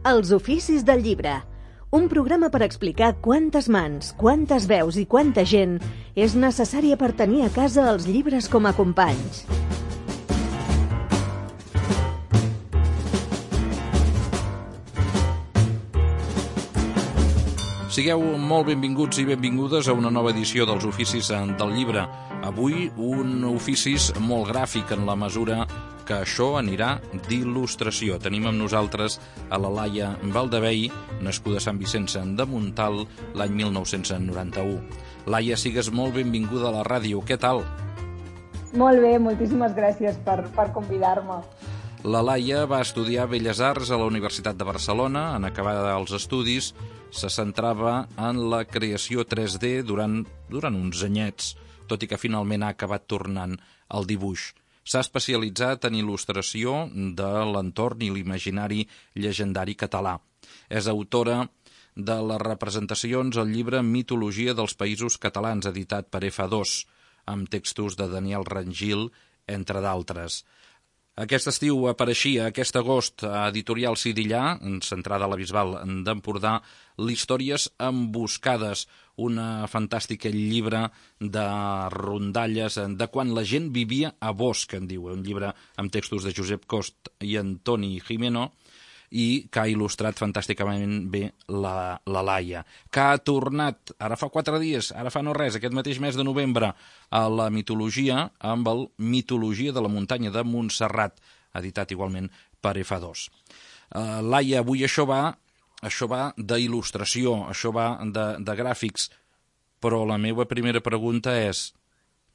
Els oficis del llibre. Un programa per explicar quantes mans, quantes veus i quanta gent és necessària per tenir a casa els llibres com a companys. Sigueu molt benvinguts i benvingudes a una nova edició dels Oficis del Llibre. Avui un oficis molt gràfic en la mesura que això anirà d'il·lustració. Tenim amb nosaltres a la Laia Valdevei, nascuda a Sant Vicenç de Montalt l'any 1991. Laia, sigues molt benvinguda a la ràdio. Què tal? Molt bé, moltíssimes gràcies per convidar-me. La Laia va estudiar Belles Arts a la Universitat de Barcelona. En acabar els estudis se centrava en la creació 3D durant uns anyets, tot i que finalment ha acabat tornant al dibuix. S'ha especialitzat en il·lustració de l'entorn i l'imaginari llegendari català. És autora de les representacions al llibre Mitologia dels Països Catalans, editat per F2, amb textos de Daniel Rangil, entre d'altres. Aquest estiu apareixia, aquest agost, a Editorial Sidillà, centrada a la Bisbal d'Empordà, l'Històries emboscades, una fantàstica llibre de rondalles de quan la gent vivia a Bosch, en diu, un llibre amb textos de Josep Cost i Antoni Gimeno, i que ha il·lustrat fantàsticament bé la Laia, que ha tornat, ara fa 4 dies, ara fa no res, aquest mateix mes de novembre, a la mitologia, amb el Mitologia de la muntanya de Montserrat, editat igualment per F2. Laia, avui això va d'il·lustració, això va de gràfics, però la meva primera pregunta és: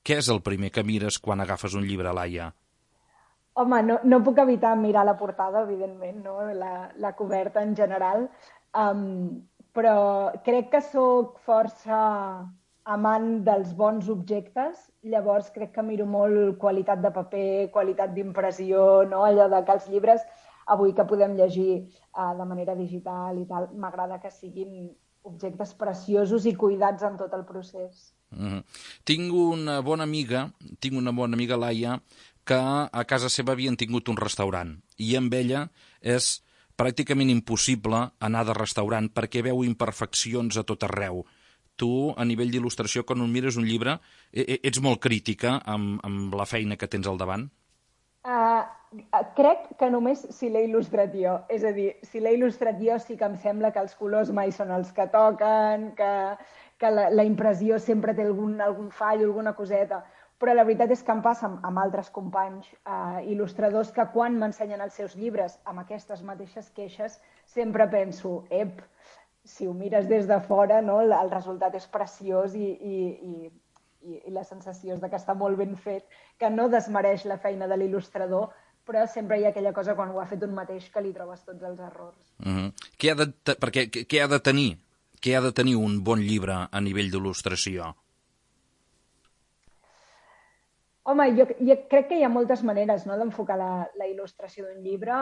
què és el primer que mires quan agafes un llibre, Laia? Home, no puc evitar mirar la portada, evidentment, no? La coberta en general, però crec que sóc força amant dels bons objectes, llavors crec que miro molt qualitat de paper, qualitat d'impressió, no? Allò de que els llibres, avui que podem llegir de manera digital i tal, m'agrada que siguin objectes preciosos i cuidats en tot el procés. Tinc una bona amiga, Laia, que a casa seva havien tingut un restaurant i amb ella és pràcticament impossible anar de restaurant perquè veu imperfeccions a tot arreu. Tu, a nivell d'il·lustració, quan mires un llibre, ets molt crítica amb la feina que tens al davant? Crec que només si l'he il·lustrat jo. És a dir, si l'he il·lustrat jo sí que em sembla que els colors mai són els que toquen, que la impressió sempre té algun fall, alguna coseta. Però la veritat és que em passa amb altres companys il·lustradors que quan m'ensenyen els seus llibres amb aquestes mateixes queixes sempre penso, si ho mires des de fora, no, el resultat és preciós i la sensació és que està molt ben fet, que no desmereix la feina de l'il·lustrador, però sempre hi ha aquella cosa quan ho ha fet un mateix que li trobes tots els errors. Què ha de tenir un bon llibre a nivell d'il·lustració? Home, jo crec que hi ha moltes maneres, no, d'enfocar la il·lustració d'un llibre.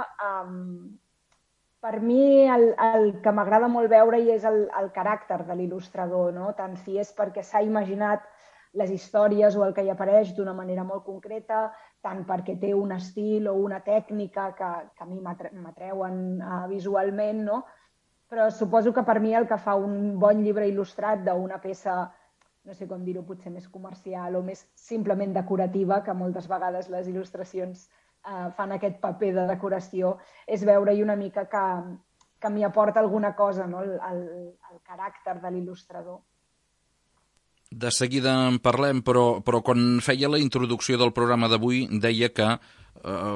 Per mi el que m'agrada molt veure és el caràcter de l'il·lustrador, no? Tant si és perquè s'ha imaginat les històries o el que hi apareix d'una manera molt concreta, tant perquè té un estil o una tècnica que a mi m'atreuen visualment, no? Però suposo que per mi el que fa un bon llibre il·lustrat d'una peça, no sé com dir-ho, potser més comercial o més simplement decorativa, que moltes vegades les il·lustracions fan aquest paper de decoració, és veure-hi una mica que m'hi aporta alguna cosa, no? El caràcter de l'il·lustrador. De seguida en parlem, però quan feia la introducció del programa d'avui deia que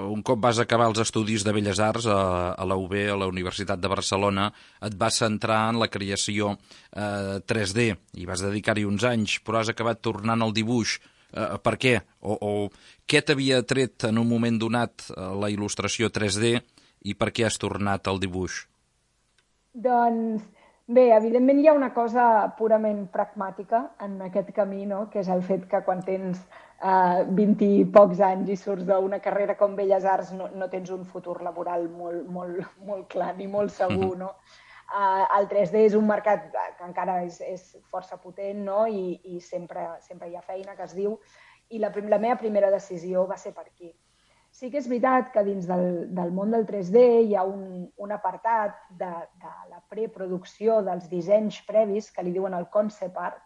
un cop vas acabar els estudis de Belles Arts a la UB, a la Universitat de Barcelona, et vas centrar en la creació 3D i vas dedicar-hi uns anys, però has acabat tornant al dibuix. Per què? O què t'havia tret en un moment donat la il·lustració 3D i per què has tornat al dibuix? Doncs bé, evidentment hi ha una cosa purament pragmàtica en aquest camí, no? Que és el fet que quan tens 20 i pocs anys i surts d'una carrera com Belles Arts no tens un futur laboral molt clar ni molt segur, no? El 3D és un mercat que encara és força potent, no? I sempre hi ha feina, que es diu, i la meva primera decisió va ser per aquí. Sí que és veritat que dins del món del 3D hi ha un apartat de la preproducció dels dissenys previs, que li diuen el concept art,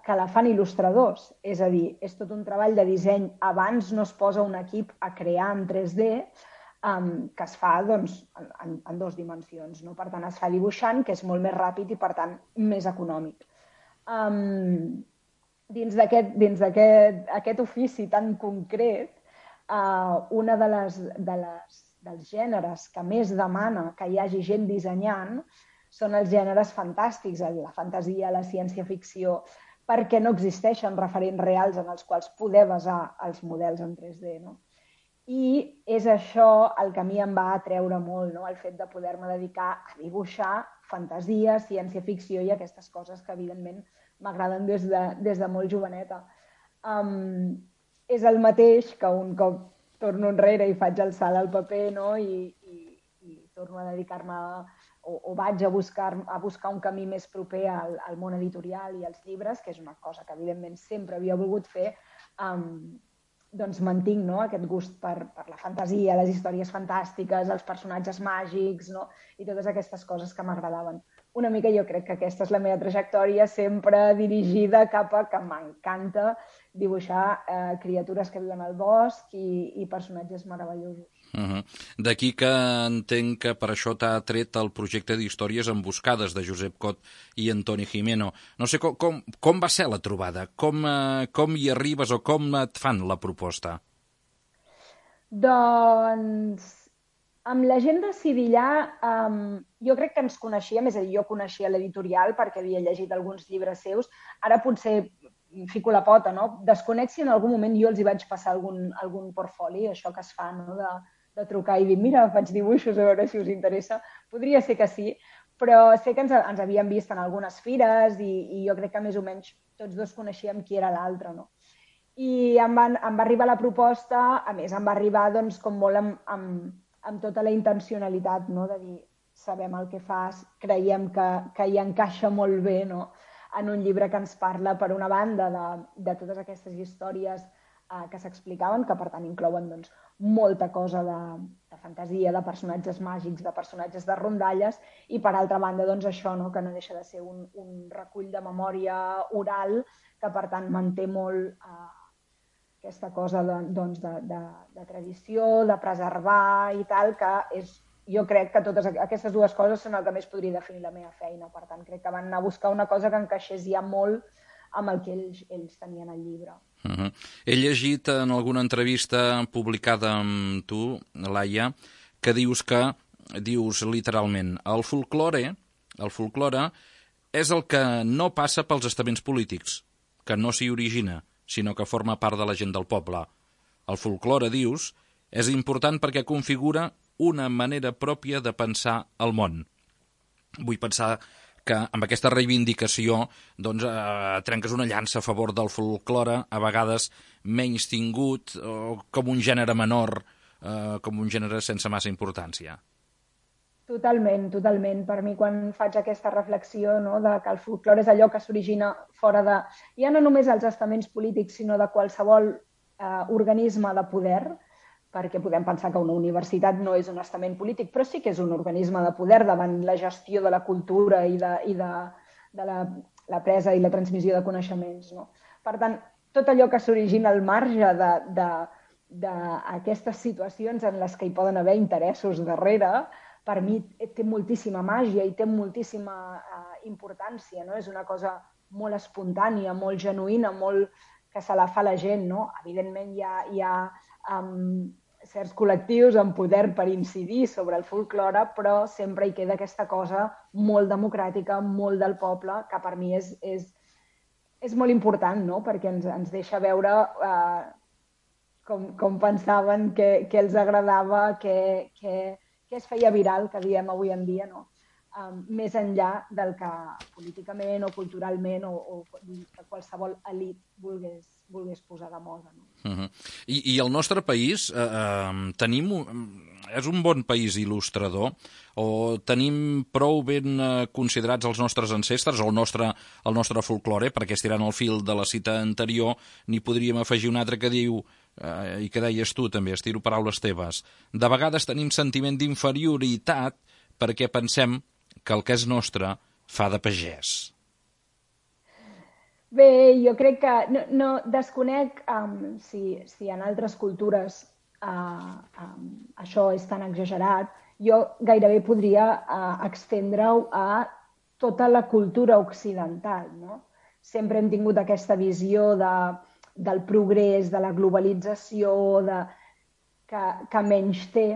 que la fan il·lustradors. És a dir, és tot un treball de disseny. Abans no es posa un equip a crear en 3D, que es fa doncs, en 2 dimensions. No? Per tant, es fa dibuixant, que és molt més ràpid i, per tant, més econòmic. Dins d'aquest ofici tan concret, una dels gèneres que més demana que hi hagi gent dissenyant són els gèneres fantàstics, la fantasia, la ciència-ficció, perquè no existeixen referents reals en els quals poder basar els models en 3D. No? I és això el que a mi em va atreure molt, no? El fet de poder-me dedicar a dibuixar fantasia, ciència-ficció i aquestes coses que, evidentment, m'agraden des de molt joveneta. És el mateix que un cop torno enrere i faig el salt al paper, no? I torno a dedicar-me o vaig a buscar un camí més proper al món editorial i als llibres, que és una cosa que evidentment sempre havia volgut fer, doncs mantinc, no? Aquest gust per la fantasia, les històries fantàstiques, els personatges màgics, no? I totes aquestes coses que m'agradaven. Una mica jo crec que aquesta és la meva trajectòria, sempre dirigida cap a que m'encanta dibuixar criatures que viuen al bosc i personatges meravellosos. D'aquí que entenc que per això t'ha tret el projecte d'històries emboscades de Josep Cot i Antoni Gimeno. No sé com va ser la trobada, com hi arribes o com et fan la proposta? Doncs amb la gent de Sidillà jo crec que ens coneixíem, és a dir, jo coneixia l'editorial perquè havia llegit alguns llibres seus. Ara potser fico la pota, no? Desconec si en algun moment jo els hi vaig passar algun portfoli, això que es fa, no? De trucar i dir, mira, faig dibuixos, a veure si us interessa. Podria ser que sí, però sé que ens havíem vist en algunes fires i jo crec que més o menys tots dos coneixíem qui era l'altre, no? I em va arribar la proposta, a més em va arribar doncs, com molt amb tota la intencionalitat, no? De dir, sabem el que fas, creiem que hi encaixa molt bé, no? En un llibre que ens parla, per una banda, de totes aquestes històries que s'explicaven, que per tant inclouen doncs, molta cosa de fantasia, de personatges màgics, de personatges de rondalles, i per altra banda doncs, això, no? Que no deixa de ser un recull de memòria oral que per tant manté molt aquesta cosa doncs, de tradició, de preservar i tal, que és, jo crec que totes aquestes dues coses són el que més podria definir la meva feina. Per tant, crec que van anar a buscar una cosa que encaixés ja molt amb el que ells tenien al llibre. He llegit en alguna entrevista publicada amb tu, Laia, que dius literalment, el folklore és el que no passa pels estaments polítics, que no s'hi origina, sinó que forma part de la gent del poble. El folklore, dius, és important perquè configura una manera pròpia de pensar el món. Vull pensar que amb aquesta reivindicació doncs, trenques una llança a favor del folklore, a vegades menys tingut, com un gènere menor, com un gènere sense massa importància. Totalment, totalment. Per mi, quan faig aquesta reflexió, no, de que el folklore és allò que s'origina fora de, ja no només els estaments polítics, sinó de qualsevol organisme de poder, perquè podem pensar que una universitat no és un estament polític, però sí que és un organisme de poder davant la gestió de la cultura i de la presa i la transmissió de coneixements. No? Per tant, tot allò que s'origina al marge d'aquestes situacions en les que hi poden haver interessos darrere, per mi té moltíssima màgia i té moltíssima importància. No? És una cosa molt espontània, molt genuïna, molt que se la fa la gent. No? Evidentment hi ha certs col·lectius amb poder per incidir sobre el folklore, però sempre hi queda aquesta cosa molt democràtica, molt del poble, que per mi és molt important, no? Perquè ens deixa veure com pensaven, què els agradava, què es feia viral, que diem avui en dia, no? Més enllà del que políticament o culturalment o qualsevol elit volgués posar de moda. No? I el nostre país és un bon país il·lustrador o tenim prou ben considerats els nostres ancestres, el nostre folklore, perquè estirant el fil de la cita anterior n'hi podríem afegir un altre que diu i que deies tu també, estiro paraules teves, de vegades tenim sentiment d'inferioritat perquè pensem que el que és nostre fa de pagès. Bé, jo crec que no desconec si en altres cultures això és tan exagerat. Jo gairebé podria estendre-ho a tota la cultura occidental, no? Sempre hem tingut aquesta visió del progrés, de la globalització, que menys té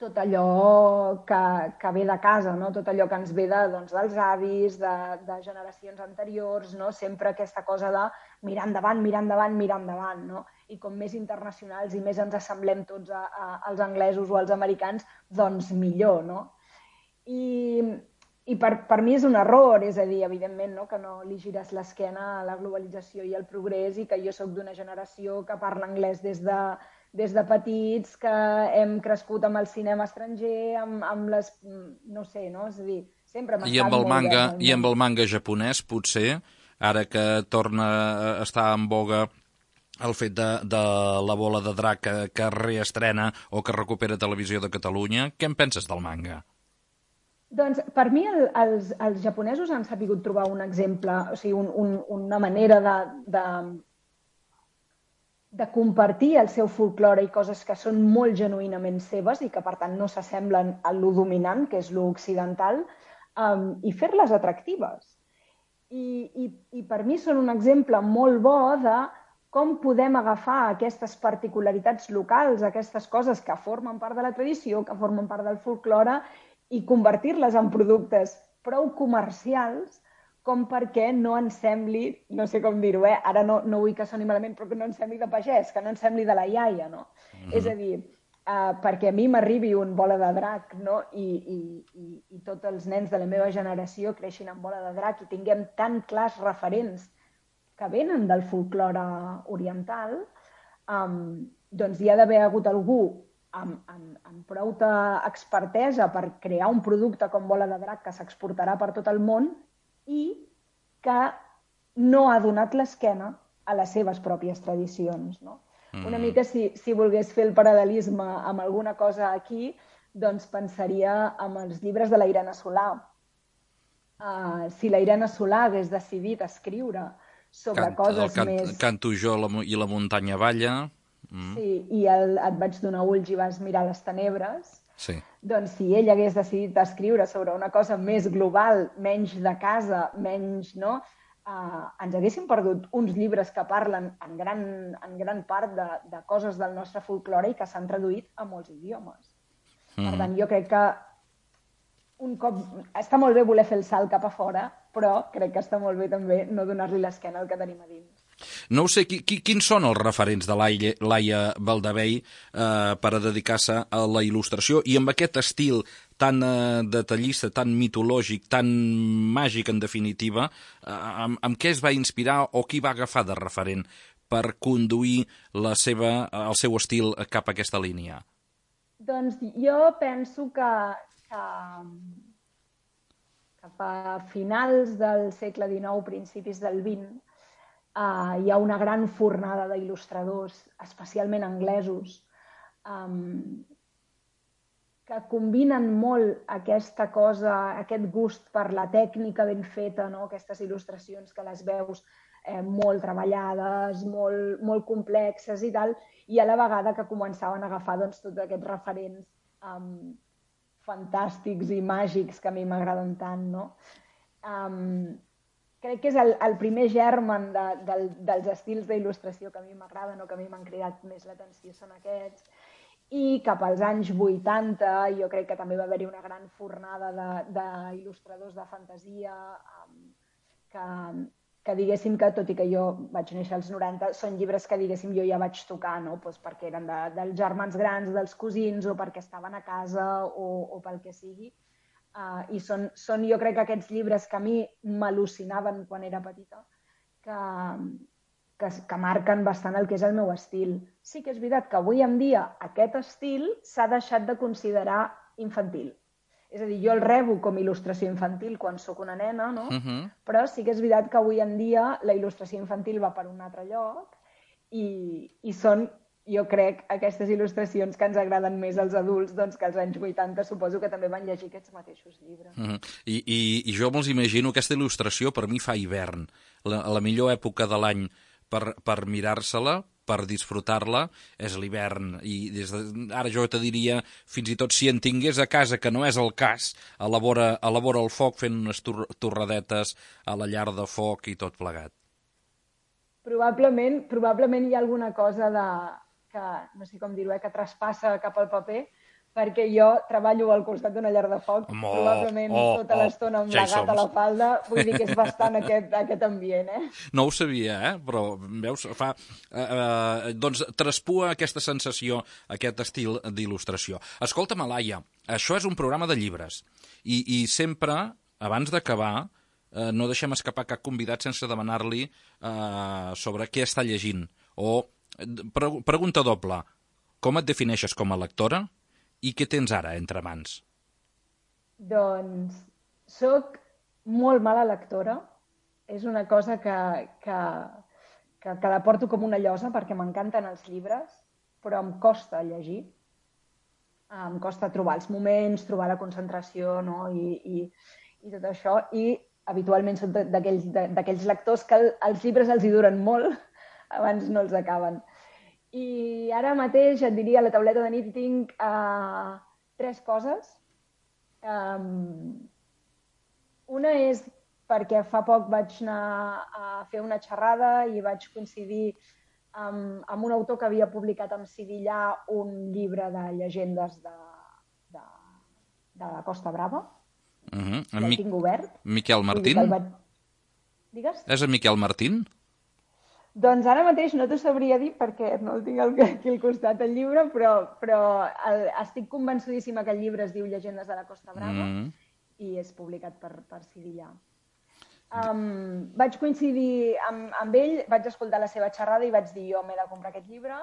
tot allò que ve de casa, no? Tot allò que ens ve dels avis, de generacions anteriors, no? Sempre aquesta cosa de mirar endavant, mirar endavant, mirar endavant, no? I com més internacionals i més ens assemblem tots als anglesos o als americans, doncs millor, no? I per mi és un error, és a dir, evidentment, no? Que no li gires l'esquena a la globalització i al progrés i que jo sóc d'una generació que parla anglès des de petits, que hem crescut amb el cinema estranger, amb les... no sé, no? És a dir, sempre m'ha estat molt bé. I amb el manga japonès, potser, ara que torna a estar en boga el fet de la bola de drac que reestrena o que recupera Televisió de Catalunya, què en penses del manga? Doncs per mi els japonesos han sabut trobar un exemple, o sigui, una manera de compartir el seu folklore i coses que són molt genuïnament seves i que, per tant, no s'assemblen a lo dominant, que és lo occidental, i fer-les atractives. I per mi són un exemple molt bo de com podem agafar aquestes particularitats locals, aquestes coses que formen part de la tradició, que formen part del folklore, i convertir-les en productes prou comercials com perquè no ens sembli, no sé com dir-ho, ara no vull que soni malament, però que no ens sembli de pagès, que no ens sembli de la iaia, no? És a dir, perquè a mi m'arribi un bola de drac, no? I tots els nens de la meva generació creixin amb bola de drac i tinguem tan clars referents que venen del folklore oriental, doncs hi ha d'haver hagut algú amb prou expertesa per crear un producte com bola de drac que s'exportarà per tot el món i que no ha donat l'esquena a les seves pròpies tradicions, no? Una mica, si volgués fer el paral·lelisme amb alguna cosa aquí, doncs pensaria en els llibres de la Irene Solà. Si la Irene Solà hagués decidit escriure sobre coses més... Canto jo i la muntanya balla... Sí, i et vaig donar ulls i vas mirar les tenebres. Sí. Doncs si ell hagués decidit escriure sobre una cosa més global, menys de casa, menys, no? Ens haguéssim perdut uns llibres que parlen en gran part de coses del nostre folklore i que s'han traduït a molts idiomes. Per tant, jo crec que un cop... Està molt bé voler fer el salt cap a fora, però crec que està molt bé també no donar-li l'esquena al que tenim a dins. No ho sé, quins són els referents de Laia Baldabei per a dedicar-se a la il·lustració i amb aquest estil tan detallista, tan mitològic, tan màgic en definitiva, amb què es va inspirar o qui va agafar de referent per conduir el seu estil cap a aquesta línia? Doncs jo penso que cap a finals del segle XIX, principis del XX, hi ha una gran fornada d'il·lustradors, especialment anglesos, que combinen molt aquesta cosa, aquest gust per la tècnica ben feta, no? Aquestes il·lustracions que les veus molt treballades, molt complexes i tal, i a la vegada que començaven a agafar tots aquests referents fantàstics i màgics que a mi m'agraden tant, no? Crec que és el primer germen dels estils d'il·lustració que a mi m'agraden o que a mi m'han cridat més l'atenció són aquests. I cap als anys 80 jo crec que també va haver-hi una gran fornada d'il·lustradors de fantasia que diguéssim que, tot i que jo vaig néixer als 90, són llibres que diguéssim jo ja vaig tocar, no? Perquè eren dels germans grans, dels cosins, o perquè estaven a casa o pel que sigui. I són jo crec que aquests llibres que a mi m'al·lucinaven quan era petita, que marquen bastant el que és el meu estil. Sí que és veritat que avui en dia aquest estil s'ha deixat de considerar infantil. És a dir, jo el rebo com a il·lustració infantil quan sóc una nena, no? Però sí que és veritat que avui en dia la il·lustració infantil va per un altre lloc i són, jo crec, aquestes il·lustracions que ens agraden més als adults, doncs que als anys 80 suposo que també van llegir aquests mateixos llibres. I jo me'ls imagino, aquesta il·lustració per mi fa hivern, la millor època de l'any per mirar-se-la, per disfrutar-la, és l'hivern. I ara jo te diria, fins i tot si en tingués a casa, que no és el cas, a la vora el foc, fent unes torradetes a la llar de foc i tot plegat. Probablement hi ha alguna cosa que, no sé com dir-ho, que traspassa cap al paper, perquè jo treballo al costat d'una llar de foc, probablement tota l'estona amb la gata a la falda, vull dir que és bastant aquest ambient, No ho sabia, però veus, doncs traspua aquesta sensació, aquest estil d'il·lustració. Escolta'm, Laia, això és un programa de llibres, i sempre, abans d'acabar, no deixem escapar cap convidat sense demanar-li sobre què està llegint. O, pregunta doble, com et defineixes com a lectora? I què tens ara entre mans? Doncs soc molt mala lectora. És una cosa que la porto com una llosa perquè m'encanten els llibres, però em costa llegir. Em costa trobar els moments, trobar la concentració, no? I tot això. I habitualment soc d'aquells lectors que els llibres els hi duren molt, abans no els acaben. I ara mateix et diria, a la tauleta de nit tinc 3 coses. Una és perquè fa poc vaig anar a fer una xerrada i vaig coincidir amb un autor que havia publicat en Sevillà un llibre de llegendes de la Costa Brava. El tinc obert. Miquel Martín? Digues? És en Miquel Martín? Doncs ara mateix no t'ho sabria dir perquè no el tinc aquí al costat el llibre, però estic convençudíssima que el llibre es diu Llegendes de la Costa Brava i és publicat per Sevillà. Vaig coincidir amb ell, vaig escoltar la seva xerrada i vaig dir jo m'he de comprar aquest llibre.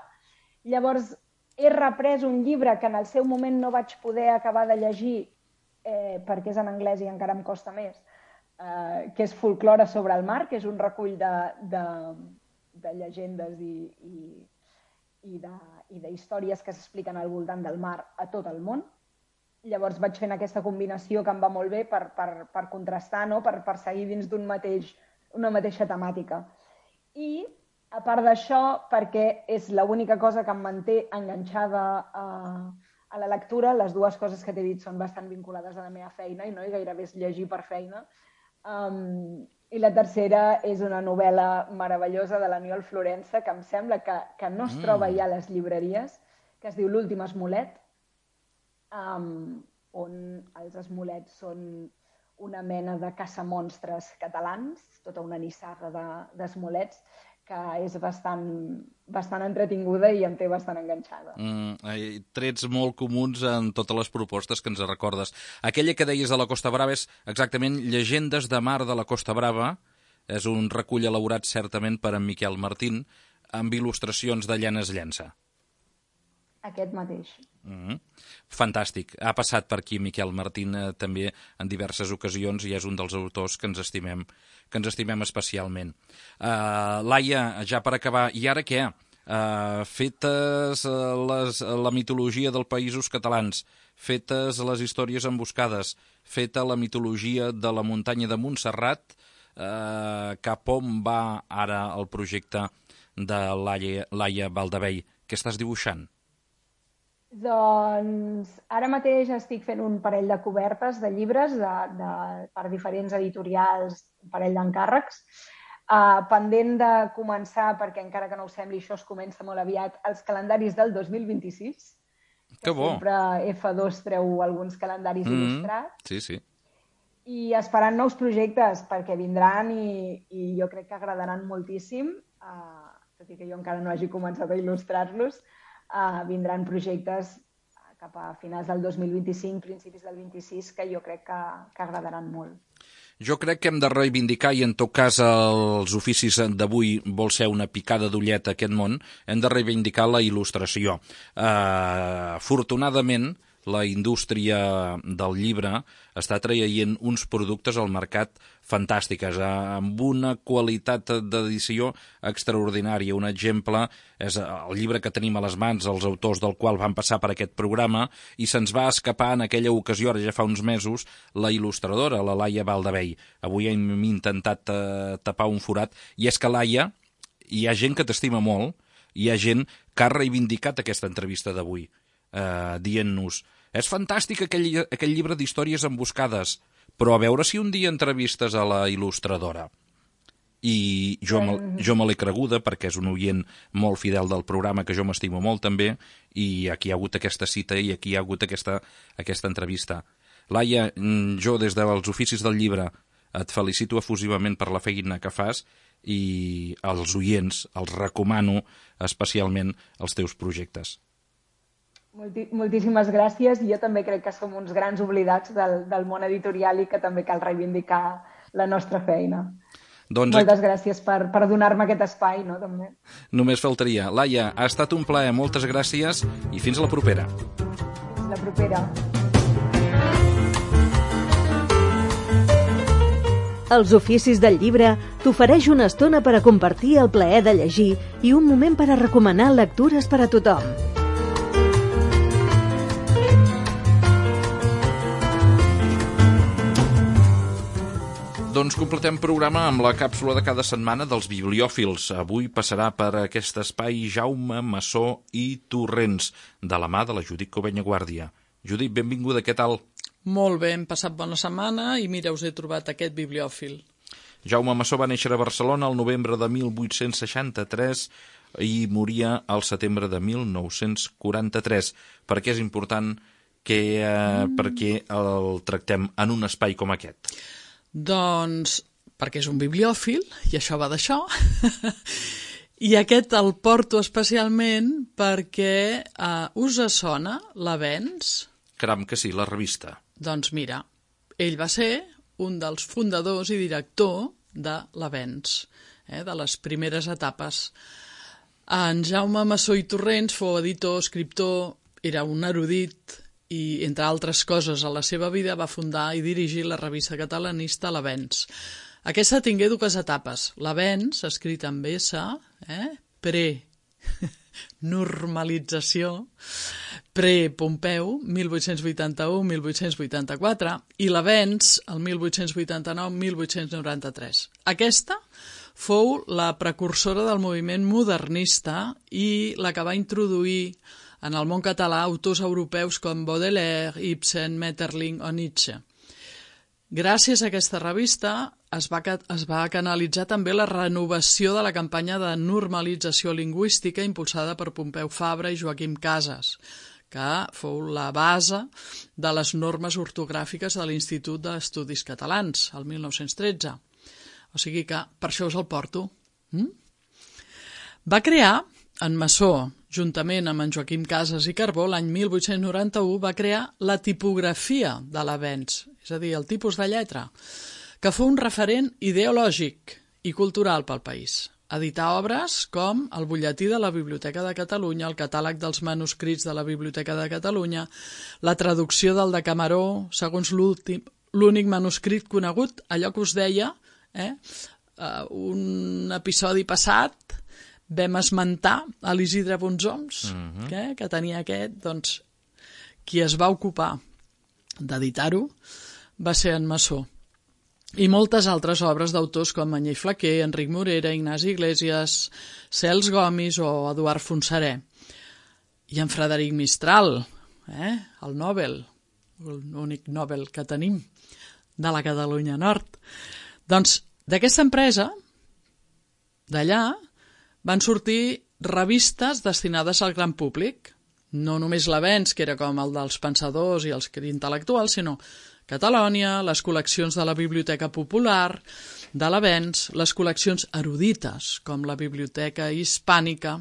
Llavors he reprès un llibre que en el seu moment no vaig poder acabar de llegir perquè és en anglès i encara em costa més, que és Folklore sobre el mar, que és un recull de llegendes i d'històries que s'expliquen al voltant del mar a tot el món. Llavors vaig fent aquesta combinació que em va molt bé per contrastar, no? per seguir dins una mateixa temàtica. I, a part d'això, perquè és l'única cosa que em manté enganxada a la lectura, les 2 coses que t'he dit són bastant vinculades a la meva feina i gairebé és llegir per feina. I la tercera és una novel·la meravellosa de l'Aniol Florença, que em sembla que no es troba ja a les llibreries, que es diu L'últim esmolet, on els esmolets són una mena de caçamonstres catalans, tota una nissaga d'esmolets, que és bastant entretinguda i em té bastant enganxada. Trets molt comuns en totes les propostes que ens recordes. Aquella que deies de la Costa Brava és exactament Llegendes de mar de la Costa Brava. És un recull elaborat certament per en Miquel Martín, amb il·lustracions de Llanes Llença. Aquest mateix. Fantàstic. Ha passat per aquí Miquel Martín també en diverses ocasions i és un dels autors que ens estimem especialment. Laia, ja per acabar, i ara què? Fetes la mitologia dels països catalans, fetes les històries emboscades, feta la mitologia de la muntanya de Montserrat, cap on va ara el projecte de Laia Baldavell? Què estàs dibuixant? Doncs ara mateix estic fent un parell de cobertes de llibres per diferents editorials, un parell d'encàrrecs, pendent de començar, perquè encara que no ho sembli, això es comença molt aviat, els calendaris del 2026. Que bo! Sempre F2 treu alguns calendaris il·lustrats. Sí. I esperant nous projectes, perquè vindran i jo crec que agradaran moltíssim, tot i que jo encara no hagi començat a il·lustrar-los. Vindran projectes cap a finals del 2025, principis del 26, que jo crec que agradaran molt. Jo crec que hem de reivindicar, i en tot cas els oficis d'avui vol ser una picada d'ullet a aquest món, hem de reivindicar la il·lustració. Afortunadament, la indústria del llibre està traient uns productes al mercat fantàstiques, amb una qualitat d'edició extraordinària. Un exemple és el llibre que tenim a les mans, els autors del qual van passar per aquest programa, i se'ns va escapar en aquella ocasió, ara ja fa uns mesos, la il·lustradora, la Laia Valdavell. Avui hem intentat tapar un forat, i és que, Laia, hi ha gent que t'estima molt, hi ha gent que ha reivindicat aquesta entrevista d'avui, dient-nos: és fantàstic aquell llibre d'històries emboscades, però a veure si un dia entrevistes a la il·lustradora. I jo me l'he creguda, perquè és un oient molt fidel del programa, que jo m'estimo molt també, i aquí hi ha hagut aquesta cita i aquí hi ha hagut aquesta entrevista. Laia, jo des dels oficis del llibre et felicito efusivament per la feina que fas, i als oients els recomano especialment els teus projectes. Moltíssimes gràcies. Jo també crec que som uns grans oblidats del món editorial i que també cal reivindicar la nostra feina. Doncs moltes gràcies per donar-me aquest espai, no, també. Només faltaria. Laia, ha estat un plaer, moltes gràcies i fins la propera. Fins la propera. Els oficis del llibre t'ofereix una estona per a compartir el plaer de llegir i un moment per a recomanar lectures per a tothom. Doncs completem programa amb la càpsula de cada setmana dels bibliòfils. Avui passarà per aquest espai Jaume Massó i Torrents, de la mà de la Judit Covenya Guàrdia. Judit, benvinguda, què tal? Molt bé, hem passat bona setmana i mira, us he trobat aquest bibliòfil. Jaume Massó va néixer a Barcelona el novembre de 1863 i moria al setembre de 1943. Per què és important perquè el tractem en un espai com aquest? Doncs perquè és un bibliòfil, i això va d'això, i aquest el porto especialment perquè us sona l'Avenç? Caram que sí, la revista. Doncs mira, ell va ser un dels fundadors i director de l'Avenç, de les primeres etapes. En Jaume Massó i Torrents fou editor, escriptor, era un erudit, i, entre altres coses, a la seva vida va fundar i dirigir la revista catalanista L'Avenç. Aquesta tingué dues etapes. L'Avenç, escrit amb S, pre-normalització, pre-Pompeu, 1881-1884, i l'Avenç, el 1889-1893. Aquesta fou la precursora del moviment modernista i la que va introduir en el món català autors europeus com Baudelaire, Ibsen, Maeterlinck o Nietzsche. Gràcies a aquesta revista es va canalitzar també la renovació de la campanya de normalització lingüística impulsada per Pompeu Fabra i Joaquim Casas, que fou la base de les normes ortogràfiques de l'Institut d'Estudis Catalans, el 1913. O sigui que per això us el porto. Va crear, en Massó, juntament amb en Joaquim Casas i Carbó, l'any 1891 va crear la tipografia de l'Avenç, és a dir, el tipus de lletra, que fou un referent ideològic i cultural pel país. Edità obres com el butlletí de la Biblioteca de Catalunya, el catàleg dels manuscrits de la Biblioteca de Catalunya, la traducció del Decameró, segons l'únic manuscrit conegut, allò que us deia, un episodi passat, vam esmentar a l'Isidre Bonsoms, que tenia aquest, doncs, qui es va ocupar d'editar-ho va ser en Massó. I moltes altres obres d'autors com Anyell Flaquer, Enric Morera, Ignasi Iglesias, Cels Gomis o Eduard Fontserè. I en Frederic Mistral, el Nobel, l'únic Nobel que tenim, de la Catalunya Nord. Doncs d'aquesta empresa, d'allà, van sortir revistes destinades al gran públic, no només l'Avenç, que era com el dels pensadors i els intel·lectuals, sinó Catalònia, les col·leccions de la Biblioteca Popular, de l'Avenç, les col·leccions erudites, com la Biblioteca Hispànica.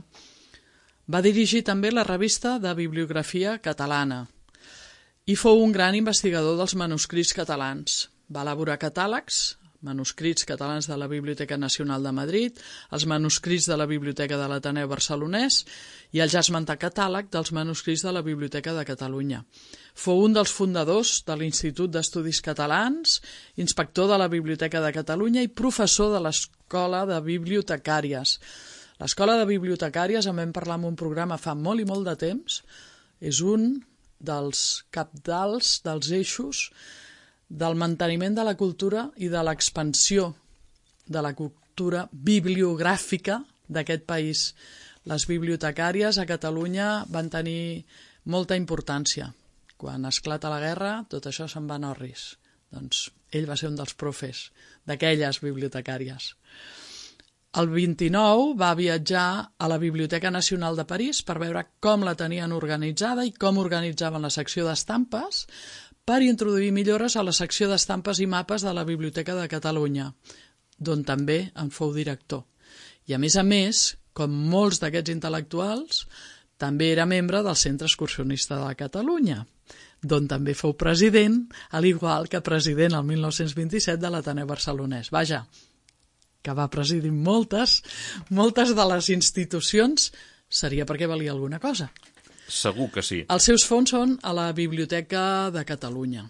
Va dirigir també la revista de bibliografia catalana i fou un gran investigador dels manuscrits catalans. Va elaborar catàlegs manuscrits catalans de la Biblioteca Nacional de Madrid, els manuscrits de la Biblioteca de l'Ateneu Barcelonès i el ja esmentat catàleg dels manuscrits de la Biblioteca de Catalunya. Fou un dels fundadors de l'Institut d'Estudis Catalans, inspector de la Biblioteca de Catalunya i professor de l'Escola de Bibliotecàries. L'Escola de Bibliotecàries, en vam parlar en un programa fa molt i molt de temps, és un dels cabdals, dels eixos del manteniment de la cultura i de l'expansió de la cultura bibliogràfica d'aquest país. Les bibliotecàries a Catalunya van tenir molta importància. Quan esclata la guerra, tot això se'n va a orris. Doncs ell va ser un dels profes d'aquelles bibliotecàries. El 29 va viatjar a la Biblioteca Nacional de París per veure com la tenien organitzada i com organitzaven la secció d'estampes per introduir millores a la secció d'estampes i mapes de la Biblioteca de Catalunya, d'on també en fou director. I a més, com molts d'aquests intel·lectuals, també era membre del Centre Excursionista de Catalunya, d'on també fou president, al igual que president el 1927 de l'Ateneu Barcelonès. Vaja, que va presidir moltes de les institucions, seria perquè valia alguna cosa. Segur que sí. Els seus fons són a la Biblioteca de Catalunya.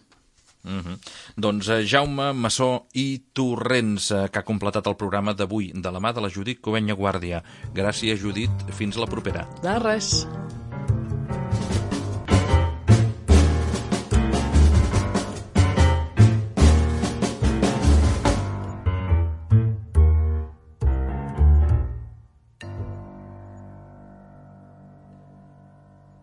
Doncs Jaume Massó i Torrents, que ha completat el programa d'avui de la mà de la Judit Covenya Guàrdia. Gràcies, Judit. Fins la propera. De res.